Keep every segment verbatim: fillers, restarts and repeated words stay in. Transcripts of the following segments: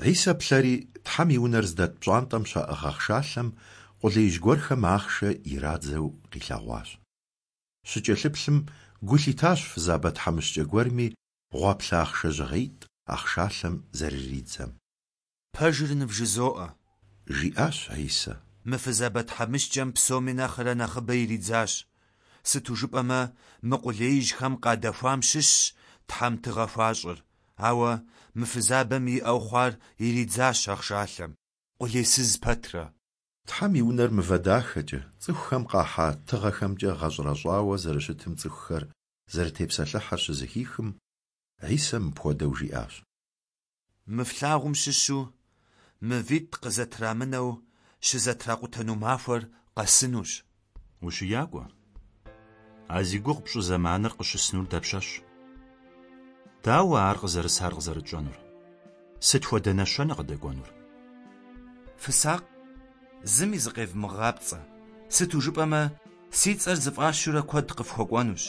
Хьисэ плъэри, Тхьэм и унэр здэт пщӏантӏэм щаӏыгъ ахъшалъэм къулеижь гуэрхэм ахъшэ ирадзэу къилъэгъуащ. Щыкӏэлъыплъым, гу лъитащ фызабэ тхьэмыщкӏэ гуэрми гъуаплъэ ахъшэ жьыгъеитӏ ахъшалъэм зэрыридзэм. Пэжыр нывжызоӏэ, жиӏащ Хьисэ. Мы фызабэ тхьэмыщкӏэм псоми нэхърэ нэхъыбэ иридзащ. Сыту жыпӏэмэ, мы къулеижьхэм къадэхуам щыщщ Тхьэм тыгъэ хуащӏыр, ауэ мы фызабэм иӏэу хъуар иридзащ ахъшалъэм, къулейсыз пэтрэ. Тхьэм и унэр мывэ дахэкӏэ, цӏыхухэм къахьа тыгъэхэмкӏэ гъэщӏэрэщӏауэ зэрыщытым цӏыхухэр зэрытепсэлъыхьыр щызэхихым, Хьисэ мыпхуэдэу жиӏащ. Мы флъагъум щыщу мывитӏ къызэтрамынэу щызэтракъутэну махуэр къэсынущ. Ущиякӏуэ, а зи гугъу пщӏы зэманыр къыщысынур дапщэщ? Дауэ ар къызэрысар къызэрытщӏэнур? Сыт хуэдэ нэщэнэ къыдэкӏуэнур? Фысакъ, зыми зыкъевмыгъапцӏэ. Сыту жыпӏэмэ, си цӏэр зыфӏащурэ куэд къыфхуэкӏуэнущ.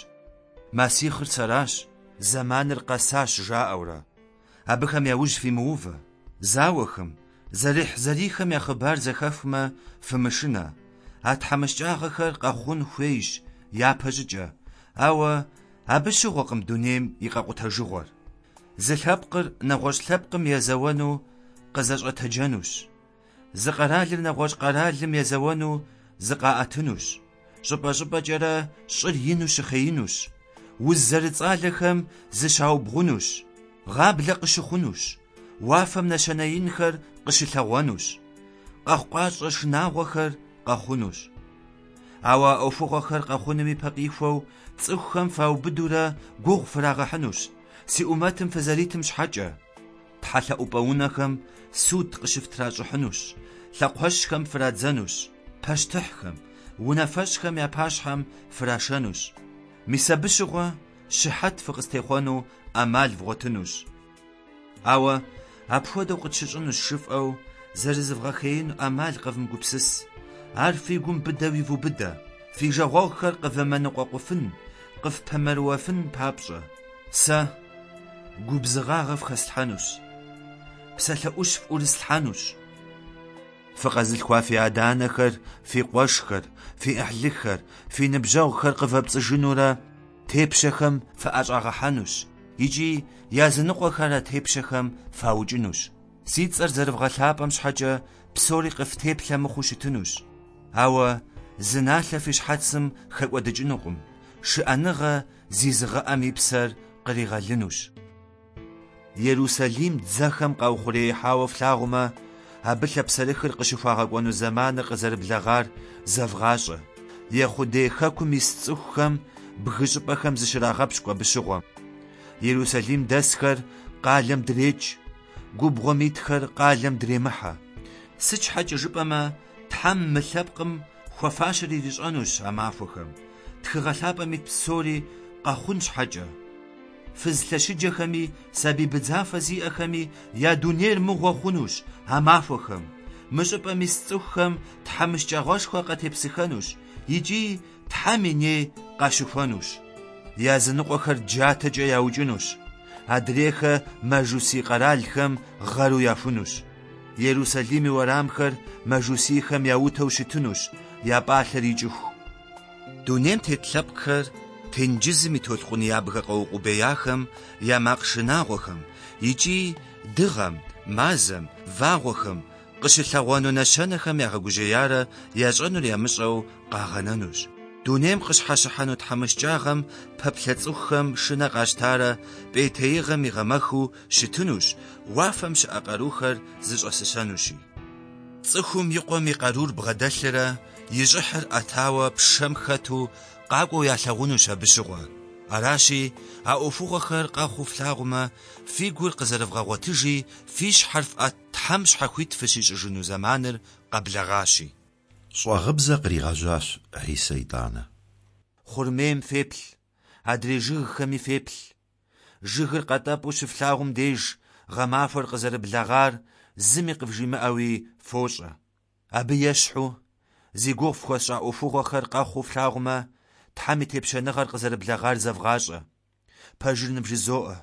Масихыр сэращ, зэманыр къэсащ, жаӏэурэ. Абыхэм я ужь фимыувэ. Зауэхэм, зэрыхьзэрийхэм я хъыбар зэхэфхмэ, фымышынэ. А тхьэмыщкӏагъэхэр къэхъун хуейщ япэщӏыкӏэ, ауэ абы щыгъуэкъым дунейм и къэкъутэжыгъуэр. Зы лъэпкъыр нэгъуэщӏ лъэпкъым езэуэну къызэщӏэтэджэнущ. Зы къэралыр нэгъуэщӏ къэралым езэуэну зыкъаӏэтынущ. Щӏыпӏэ-щӏыпӏэкӏэрэ щӏыр ину щыхъеинущ. Уз зэрыцӏалэхэм зыщаубгъунущ. Гъаблэ къыщыхъунущ. Уафэм нэщэнэ инхэр къыщылъэгъуэнущ. Къэхъукъащӏэ шынагъуэхэр къэхъунущ. Ауэ а ӏуэхугъуэхэр къэхъуным ипэ къихуэу цӏыхухэм фаубыдурэ гугъу фрагъэхьынущ, си ӏумэтым фызэритым щхьэкӏэ. Тхьэлъэӏупӏэ унэхэм суд къыщыфтращӏыхьынущ, лъэкхъуэщхэм фрадзэнущ, пащтыхьхэм, унафэщӏхэм я пащхьэм фрашэнущ. Мис абы щыгъуэ щыхьэт фыкъыстехъуэну ӏэмал вгъуэтынущ. Ауэ апхуэдэу къытщыщӏынущ жыфӏэу зэрызывгъэхеину ӏэмал къэвмыгупсыс. Ар фи гум быдэу ивубыдэ, фи жагъуэгъухэр къывэмыныкъуэкъуфын, къыфпэмэрыуэфын папщӏэ. Сэ губзыгъагъэ фхэслъхьэнущ, псалъэ ӏущ фӏурыслъхьэнущ. Фыкъэзылъхуа фи адэ-анэхэр, фи къуэшхэр, фи ӏыхьлыхэр, фи ныбжьэгъухэр къывэпцӏыжынурэ тепщэхэм фыӏэщӏагъэхьэнущ икӏи языныкъуэхэр а тепщэхэм фаукӏынущ. Си цӏэр зэрывгъэлъапӏэм щхьэкӏэ псори къыфтеплъэ мыхъуу щытынущ. Ауэ зы налъэ фи щхьэцым хэкӏуэдыкӏынукъым, шыӏэныгъэ зизыгъэӏэм и псэр къригъэлынущ. Ерусалим дзэхэм къаухъуреихьауэ флъагъумэ, абы лъапсэрыхыр къыщыхуагъэкӏуэну зэманыр къызэрыблэгъар зэвгъащӏэ. Ехъудей хэкум ис цӏыхухэм бгы щӏыпӏэхэм зыщрагъэпщкӏу абы щыгъуэм. Ерусалим дэсхэр къалэм дрекӏ, губгъуэм итхэр къалэм дремыхьэ. Сыт щхьэкӏэ жыпӏэмэ, Тхьэм мы лъэпкъым хуэфащэр ирищӏэнущ а махуэхэм, Тхыгъэ лъапӏэм ит псори къэхъун щхьэкӏэ. Фыз лъэщыджэхэми, сабий быдзафэ зиӏэхэми я дунейр мыгъуэ хъунущ а махуэхэм. Мы щӏыпӏэм ис цӏыхухэм тхьэмыщкӏагъэшхуэ къатепсыхэнущ икӏи Тхьэм и ней къащыхуэнущ. Языныкъуэхэр джатэкӏэ яукӏынущ, адрейхэр мажусий къэралхэм гъэру яхунущ. Ерусалим и уэрамхэр мажусийхэм яутэу щытынущ, я пӏалъэр икӏыху. Дунейм тет лъэпкъхэр тенджызым и толъкъун ябгэ къэукъубеяхэм я макъ шынагъуэхэм икӏи дыгъэм, мазэм, вагъуэхэм къыщылъэгъуэну нэщэнэхэм ягъэгужьеярэ ящӏэнур ямыщӏэу къагъэнэнущ. Дунейм къыщхьэщыхьэну тхьэмыщкӏагъэм пэплъэ цӏыхухэм шынэ къащтарэ пӏейтеигъэм игъэмэхыу щытынущ, уафэм щыӏэ къарухэр зыщӏэсыщэнущи. Цӏыхум и къуэм и къарур бгъэдэлърэ и щӏыхьыр ӏэтауэ пшэм хэту къакӏуэу ялъагъунущ абы щыгъуэ. Аращи, а ӏуэхугъуэхэр къэхъуу флъагъумэ, фи гур къызэрывгъэгъуэтыжи, фи щхьэр фӏэт, Тхьэм щхьэхуит фыщищӏыжыну зэманыр къэблэгъащи. Щӏагъыбзэ къригъэжьащ Хьисэ итӏанэ. Хъурмейм феплъ, адрей жыгхэми феплъ. Жыгыр къэтӏэпӏу щыфлъагъум деж гъэмахуэр къызэрыблэгъар зыми къывжимыӏэуи фощӏэ. Абы ещхьу, зи гугъу фхуэсщӏа ӏуэхугъуэхэр къэхъуу флъагъумэ, Тхьэм и тепщэныгъэр къызэрыблэгъар зэвгъащӏэ. Пэжыр нывжызоӏэ,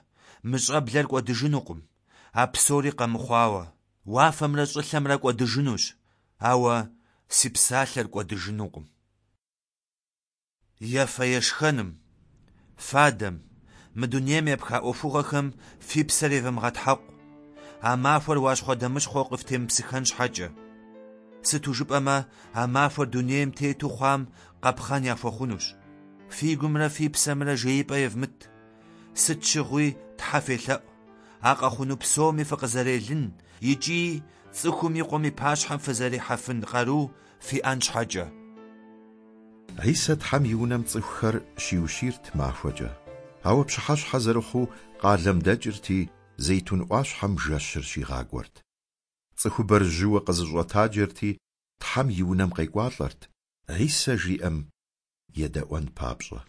мы щӏэблэр кӏуэдыжынукъым, а псори къэмыхъуауэ. Уафэмрэ щӏылъэмрэ кӏуэдыжынущ, ауэ си псалъэр кӏуэдыжынукъым. Ефэ-ешхэным, фадэм, мы дунейм епха ӏуэхугъуэхэм фи псэр евмыгъэтхьэкъу, а махуэр уащхъуэдэмыщхъуэу къыфтемыпсыхэн щхьэкӏэ. Сыту жыпӏэмэ, а махуэр дунейм тету хъуам къапхъэн яхуэхъунущ. Фи гумрэ фи псэмрэ жеипӏэ евмыт. Сыт щыгъуи Тхьэ фелъэӏу, а къэхъуну псоми фыкъызэрелын икӏи цӏыхум и къуэм и пащхьэм фызэрихьэфын къару фиӏэн щхьэкӏэ. Хьисэ Тхьэм и унэм цӏыхухэр щиущийрт махуэкӏэ, ауэ пщыхьэщхьэ зэрыхъуу къалэм дэкӏырти, Зейтун ӏуащхьэм жэщыр щигъакӏуэрт. Цӏыхубэр жьыуэ къызэщӏэтаджэрти, Тхьэм и унэм къекӏуалӏэрт, Хьисэ жиӏэм едэӏуэн папщӏэ.